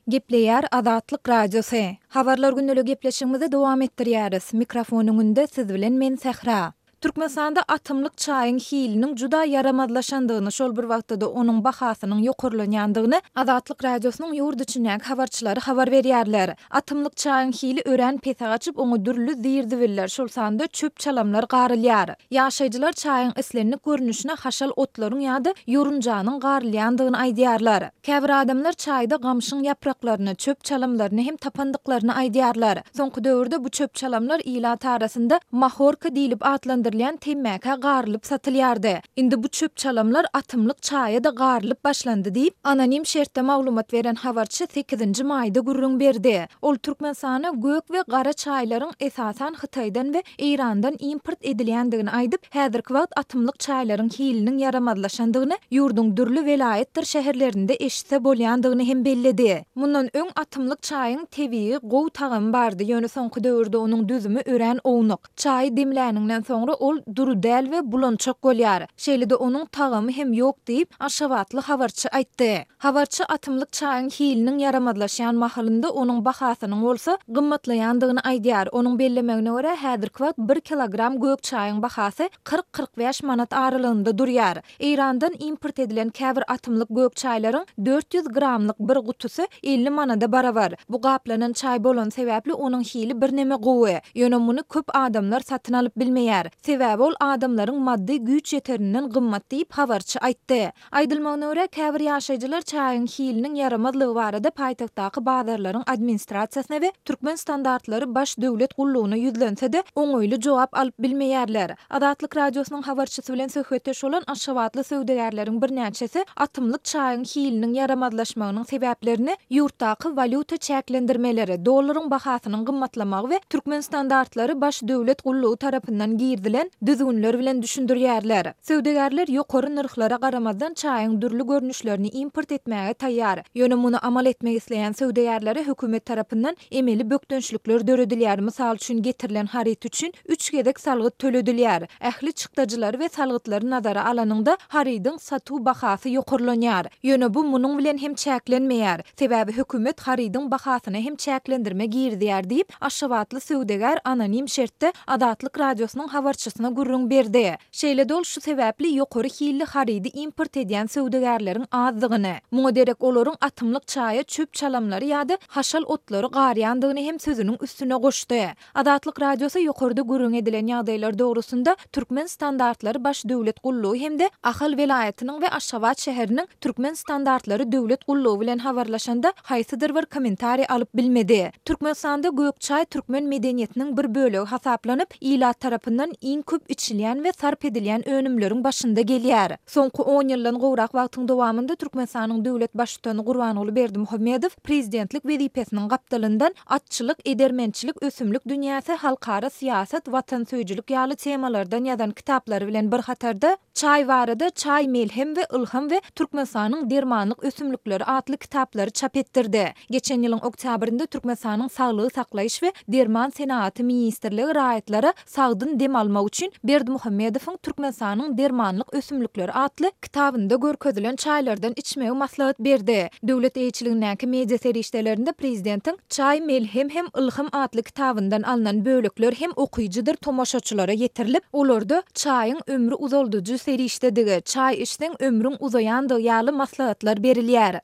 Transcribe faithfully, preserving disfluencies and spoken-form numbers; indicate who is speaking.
Speaker 1: Gepleýär Azatlyk Radiosy. Habarlar gündelik gepleşigimizi dowam etdirýäris. Mikrofon öňünde siz bilen men Sähra. Türkmenistanda atymlyk çaýyň hiliniň juda ýaramazlaşandygyny, şol bir wagtda-da onuň bahasynyň ýokarlanýandygyny Azatlyk Radiosynyň ýurt içindäki habarçylary habar berýärler. Atymlyk çaýyň hili örän pese gaçyp, oňa dürli zir-zibiller, şol sanda çöp-çalamlar garylýar. Ýaşaýjylar çaýyň islendik görnüşine haşal otlaryň ýa-da ýorunjanyň garylýandygyny aýdýarlar. Käbir adamlar çaýda gamşyň ýapraklaryny, çöp-çalamlaryny hem tapandyklaryny aýdýarlar. Soňky döwürde bu çöp-çalamlar ilat arasynda mahorka diýlip atlandyrylýan temmäkä garylyp satylýardy. Indi bu çöp-çalamlar atymlyk çaýa-da garylyp başlandy diýip, anonim şertde maglumat beren habarçy sekizinji maýda gürrüň berdi. Ol Türkmenistana gök we gara çaýlaryň esasan Hytaýdan we Eýrandan import edilýändigini aýdyp, häzirki wagt atymlyk çaýlaryň hiliniň ýaramazlaşandygyny ýurduň dürli welaýatdyr şäherlerinde eşitse bolýandygyny hem belledi. Mundan öň atymlyk çaýyň tebigy gowy tagamy bardy, ýöne soňky döwürde onuň düzümi örän ownuk. Çaýy demläniňden soňra ol dury däl we bulançak bolýar. Şeýle-de onuň tagamy hem ýok diýip, aşgabatly habarçy aýtdy. Habarçy atymlyk çaýyň hiliniň ýaramazlaşýan mahalynda onuň bahasynyň bolsa gymmatlaýandygyny aýdýar. Onuň bellemegine görä, häzirki wagt bir kilogram gök çaýyň bahasy kyrk-kyrk bäş manat aralygynda durýar. Eýrandan import edilen käbir atymlyk gök çaýlaryň dört ýüz gramlyk bir gutusy elli manada barabar. Bu gaplanan çaý bolany sebäpli onuň hili birneme gowy. Ýöne muny köp adamlar satyn alyp bilmeýär. Sebäbi ol adamlaryň maddy güýç ýeterinden gymmat diýip, habarçy aýtdy. Aýdylmagyna görä, käbir ýaşaýjylar çaýyň hiliniň ýaramazlygy barada paýtagtdaky bazarlaryň administrasiýasyna we Türkmen standartlary baş döwlet gullugyna ýüzlense-de, oňaýly jogap alyp bilmeýärler. Azatlyk Radiosynyň habarçysy bilen söhbetdeş bolan aşgabatly söwdagärleriň birnäçesi atymlyk çaýyň hiliniň ýaramazlaşmagynyň sebäplerini ýurtdaky walýuta çäklendirmeleri, dollaryň bahasynyň gymmatlamagy we Türkmen standartlary baş döwlet gullugy tarapyndan girizilen düzgünler bilen düşündirýärler. Söwdagärler ýokary nyrhlara garamazdan çaýyň dürli görnüşlerini import etmäge taýýar. Ýöne muny amal etmek isleýän söwdagärlere hökümet tarapyndan emeli bökdençlikler döredilýär. Mysal üçin, getirilen haryt üçin üç gezek salgyt töledilýär. Ähli çykdajylary we salgytlary nazara alanyňda harydyň satuw bahasy ýokarlanýar. Ýöne bu munuň bilen hem çäklenmeýär. Sebäbi hökümet harydyň bahasyna hem çäklendirme girizýär diýip, aşgabatly söwdagär anonim şertde Azatlyk Radiosynyň habarçysyna gürrüň berdi. Şeýle-de ol şu sebäpli ýokary hilli harydy import edýän söwdagärleriň azdygyny, muňa derek olaryň atymlyk çaýa çöp-çalamlary ýa-da haşal otlary garýandygyny hem sözüniň üstüne goşdy. Azatlyk Radiosy ýokarda gürrüň edilen ýagdaýlar dogrusynda Türkmen standartlary baş döwlet gullugy hem-de Ahal welaýatynyň we Aşgabat şäheriniň Türkmen standartlary döwlet gullugy bilen habarlaşanda haýsydyr bir kommentariý alyp bilmedi. Türkmenistanda gök çaý türkmen medeniýetiniň bir bölegi hasaplanyp, ilat tarapyndan iň köp içilýän we sarp edilýän önümleriň başynda gelýär. Soňky on ýyldan gowrak wagtyň dowamynda Türkmenistanyň döwlet Baştutany Gurbanguly Berdimuhamedow prezidentlik wezipesiniň gapdalyndan atçylyk, edermençilik, ösümlik dünýäsi, halkara syýasat, watansöýüjilik ýaly temalardan ýazan kitaplary bilen bir hatarda, çaý barada Çaý melhem we ylham we Türkmenistanyň dermanlyk ösümlikleri atly kitaplary çap etdirdi. Geçen ýylyň oktýabrynda Türkmenistanyň Saglygy saklaýyş we derman senagaty ministrligi raýatlara sagdyn dem almak üçin Berdimuhamedowyň Türkmenistanyň dermanlyk ösümlikleri atly kitabynda görkezilen çaýlardan içmegi maslahat berdi. Döwlet eýeçiligindäki media serişdelerinde prezidentiň Çaý melhem hem ylham atly kitabyndan alnan bölekler hem okyjydyr tomaşaçylara ýetirilip, olarda çaýyň ömri uzaldyjy serişdedigi, çaý içseň ömrüň uzaýandygy ýaly maslahatlar berilýär.